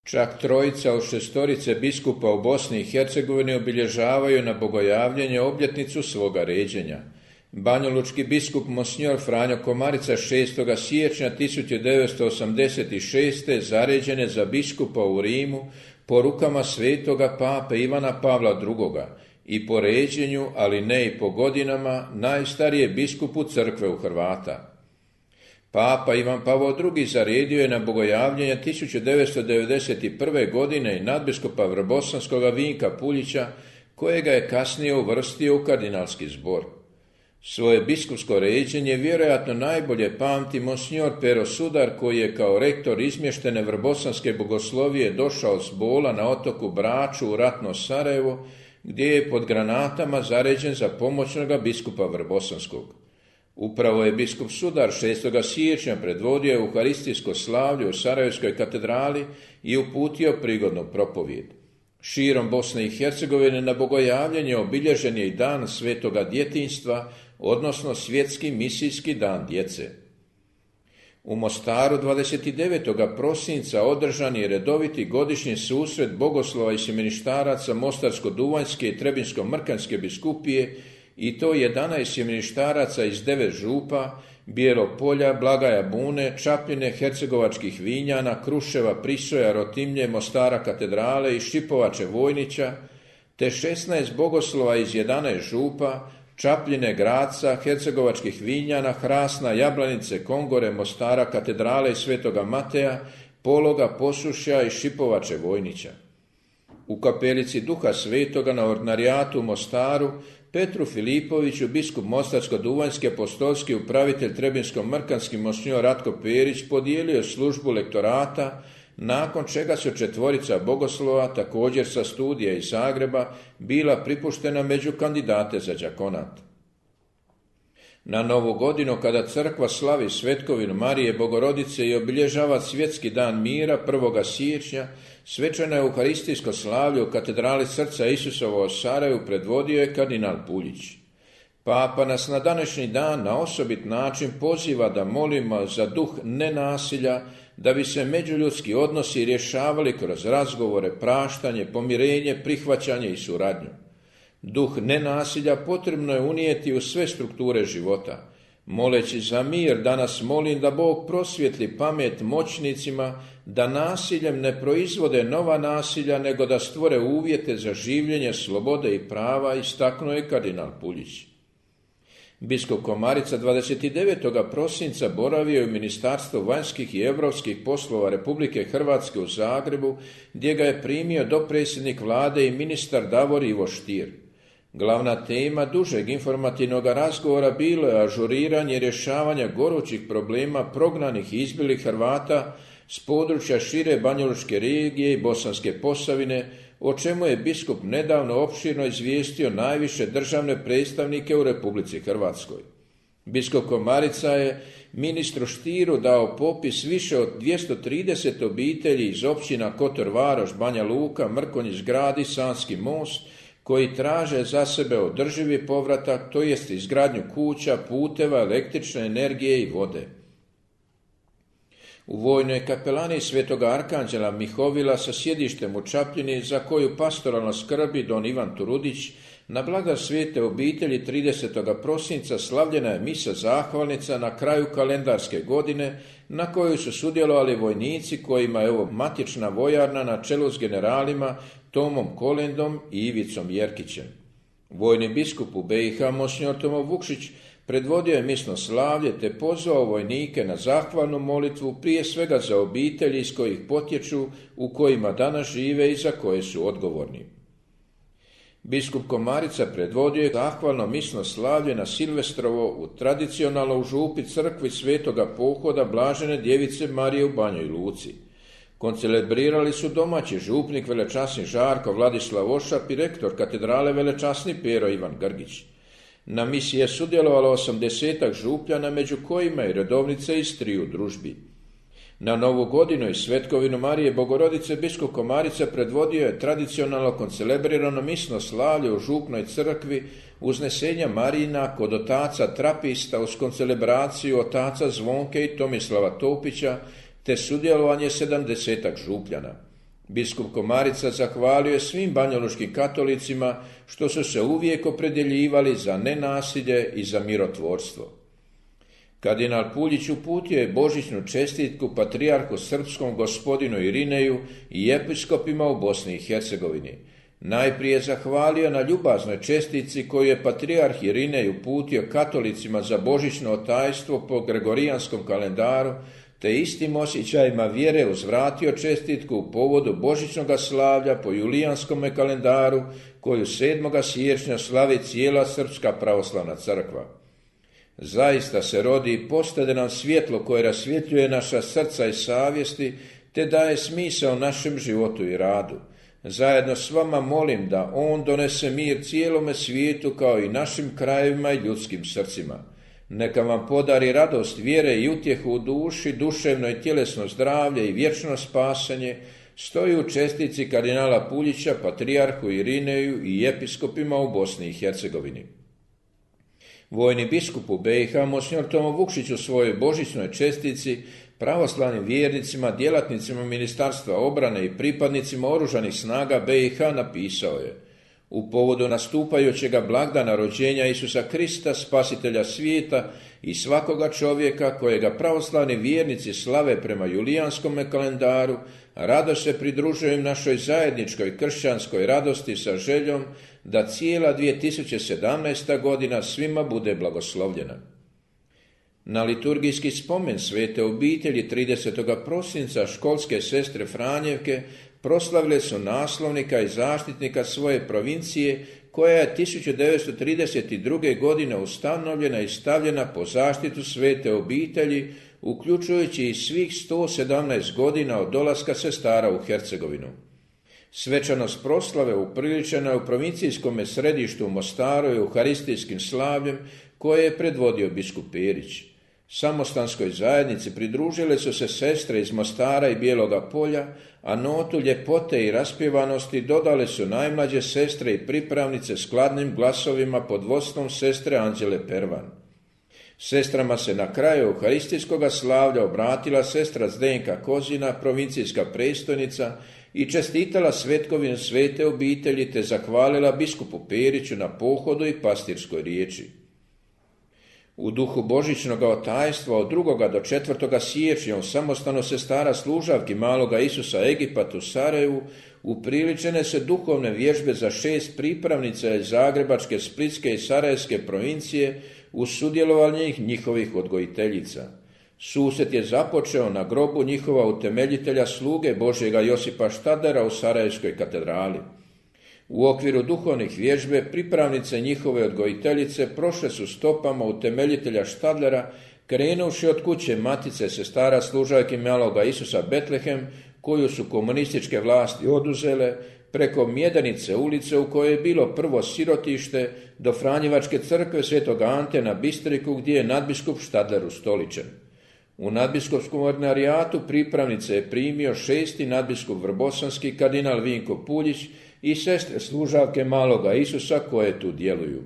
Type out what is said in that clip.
Čak trojica od šestorice biskupa u Bosni i Hercegovini obilježavaju na bogojavljenje obljetnicu svoga ređenja. Banjalučki biskup Monsignor Franjo Komarica 6. siječnja 1986. zaređen je za biskupa u Rimu po rukama svetoga pape Ivana Pavla II. I po ređenju, ali ne i po godinama, najstarije biskupu crkve u Hrvata. Papa Ivan Pavao II. Zaredio je na bogojavljenje 1991. godine i nadbiskupa Vrbosanskoga Vinka Puljića, kojega je kasnije uvrstio u kardinalski zbor. Svoje biskupsko ređenje vjerojatno najbolje pamti Monsignor Pero Sudar, koji je kao rektor izmještene Vrbosanske bogoslovije došao s Bola na otoku Braču u ratno Sarajevo, gdje je pod granatama zaređen za pomoćnoga biskupa Vrbosanskog. Upravo je biskup Sudar 6. siječnja predvodio euharistijsko slavlje u Sarajevskoj katedrali i uputio prigodnu propovijed. Širom Bosne i Hercegovine na bogojavljenje obilježen je i dan svetoga djetinjstva, odnosno svjetski misijski dan djece. U Mostaru 29. prosinca održan je redoviti godišnji susret bogoslova i sjemeništaraca Mostarsko-Duvanjske i Trebinsko-Mrkanske biskupije, i to 11 sjemeništaraca iz 9 župa, Bijelog Polja, Blagaja Bune, Čapljine, Hercegovačkih Vinjana, Kruševa, Prisoja, Rotimlje, Mostara katedrale i Šipovače Vojnića, te 16 bogoslova iz 11 župa, Čapljine, Graca, Hercegovačkih Vinjana, Hrasna, Jablanice, Kongore, Mostara katedrale i Svetoga Mateja, Pologa, Posušja i Šipovače Vojnića. U kapelici Duha Svetoga na ordinarijatu u Mostaru Petru Filipoviću, biskup Mostarsko-Duvanjski apostolski upravitelj Trebinsko-Mrkanski Monsignor Ratko Perić podijelio službu lektorata, nakon čega su 4 bogoslova, također sa studija iz Zagreba, bila pripuštena među kandidate za đakonat. Na Novu godinu, kada crkva slavi svetkovinu Marije Bogorodice i obilježava svjetski dan mira 1. siječnja, svečano euharistijsko slavlje u katedrali Srca Isusova u Sarajevu predvodio je kardinal Puljić. Papa nas na današnji dan na osobit način poziva da molimo za duh nenasilja, da bi se međuljudski odnosi rješavali kroz razgovore, praštanje, pomirenje, prihvaćanje i suradnju. Duh nenasilja potrebno je unijeti u sve strukture života. Moleći za mir, danas molim da Bog prosvjetli pamet moćnicima, da nasiljem ne proizvode nova nasilja, nego da stvore uvjete za življenje slobode i prava, istaknuo je kardinal Puljić. Biskup Komarica 29. prosinca boravio je u Ministarstvu vanjskih i europskih poslova Republike Hrvatske u Zagrebu, gdje ga je primio dopredsjednik vlade i ministar Davor Ivo Stier. Glavna tema dužeg informativnog razgovora bilo je ažuriranje rješavanja gorućih problema prognanih i izbjelih Hrvata s područja šire Banjalučke regije i Bosanske Posavine, o čemu je biskup nedavno opširno izvijestio najviše državne predstavnike u Republici Hrvatskoj. Biskup Komarica je ministru Stieru dao popis više od 230 obitelji iz općina Kotor Varoš, Banja Luka, Mrkonjić Grad i Sanski Most, koji traže za sebe održivi povratak, to jest izgradnju kuća, puteva, električne energije i vode. U vojnoj kapelani Svetoga Arkanđela Mihovila sa sjedištem u Čapljini, za koju pastoralno skrbi don Ivan Turudić, na blaga svete obitelji 30. prosinca slavljena je misa zahvalnica na kraju kalendarske godine, na kojoj su sudjelovali vojnici kojima je ovo matična vojarna na čelu s generalima Tomom Kolendom i Ivicom Jerkićem. Vojni biskup u BiH Monsignor Tomo Vukšić predvodio je misno slavlje te pozvao vojnike na zahvalnu molitvu, prije svega za obitelji iz kojih potječu, u kojima danas žive i za koje su odgovorni. Biskup Komarica predvodio je zahvalno misno slavlje na Silvestrovo u tradicionalno u župi crkvi Svetoga Pohoda Blažene Djevice Marije u Banjoj Luci. Koncelebrirali su domaći župnik velečasni Žarko Vladislav Ošap i rektor katedrale velečasni Pero Ivan Grgić. Na misiji je sudjelovalo 80 župljana, među kojima i redovnice iz 3 družbi. Na Novu godinu i svetkovinu Marije Bogorodice biskup Komarica predvodio je tradicionalno koncelebrirano misno slavlje u župnoj crkvi uznesenja Marijina kod otaca Trapista uz koncelebraciju otaca Zvonke i Tomislava Topića te sudjelovanje 70 župljana. Biskup Komarica zahvalio je svim banjalučkim katolicima što su se uvijek opredjeljivali za nenasilje i za mirotvorstvo. Kardinal Puljić uputio je božićnu čestitku patrijarhu srpskom gospodinu Irineju i episkopima u Bosni i Hercegovini. Najprije zahvalio na ljubaznoj čestitci koju je patrijarh Irinej uputio katolicima za božićno otajstvo po gregorijanskom kalendaru, te istim osjećajima vjere uzvratio čestitku u povodu božićnog slavlja po julijanskom kalendaru koju 7. siječnja slavi cijela Srpska pravoslavna crkva. Zaista se rodi i postade nam svjetlo koje rasvjetljuje naša srca i savjesti, te daje smisao našem životu i radu. Zajedno s vama molim da On donese mir cijelome svijetu kao i našim krajevima i ljudskim srcima. Neka vam podari radost vjere i utjehu u duši, duševno i tjelesno zdravlje i vječno spasanje, stoji u čestitci kardinala Puljića, patrijarhu Irineju i episkopima u Bosni i Hercegovini. Vojni biskup u BiH, monsignor Tomo Vukšić, u svojoj božićnoj čestitci pravoslavnim vjernicima, djelatnicima Ministarstva obrane i pripadnicima oružanih snaga BiH napisao je: u povodu nastupajućega blagdana rođenja Isusa Krista, spasitelja svijeta i svakoga čovjeka kojega pravoslavni vjernici slave prema julijanskom kalendaru, rado se pridružujem našoj zajedničkoj kršćanskoj radosti sa željom da cijela 2017. godina svima bude blagoslovljena. Na liturgijski spomen svete obitelji 30. prosinca školske sestre Franjevke proslavile su naslovnika i zaštitnika svoje provincije koja je 1932. godine ustanovljena i stavljena po zaštitu svete obitelji, uključujući i svih 117 godina od dolaska sestara u Hercegovinu. Svečanost proslave upriličena je u provincijskom središtu u Mostaru i euharistijskim slavljem koje je predvodio biskup Perić. Samostanskoj zajednici pridružile su se sestre iz Mostara i Bijeloga Polja, a notu ljepote i raspjevanosti dodale su najmlađe sestre i pripravnice skladnim glasovima pod vodstvom sestre Anđele Pervan. Sestrama se na kraju euharistijskog slavlja obratila sestra Zdenka Kozina, provincijska predstojnica, i čestitala svetkovinu svete obitelji te zahvalila biskupu Periću na pohodu i pastirskoj riječi. U duhu božićnog otajstva od 2. do 4. siječnja u samostanu sestara služavki Maloga Isusa Egipat u Sarajevu upriličene se duhovne vježbe za 6 pripravnica iz Zagrebačke, Splitske i Sarajevske provincije uz sudjelovanje njihovih odgojiteljica. Susret je započeo na grobu njihova utemeljitelja sluge Božjega Josipa Štadlera u Sarajevskoj katedrali. U okviru duhovnih vježbe pripravnice njihove odgojiteljice prošle su stopama utemeljitelja Štadlera, krenuvši od kuće matice sestara služavki Maloga Isusa Betlehem, koju su komunističke vlasti oduzele, preko Mjedenice ulice u kojoj je bilo prvo sirotište, do Franjevačke crkve Svetog Ante na Bistriku gdje je nadbiskup Štadler ustoličen. U nadbiskupskom ordinarijatu pripravnice je primio 6. nadbiskup Vrbosanski kardinal Vinko Puljić i sestre služavke Maloga Isusa koje tu djeluju.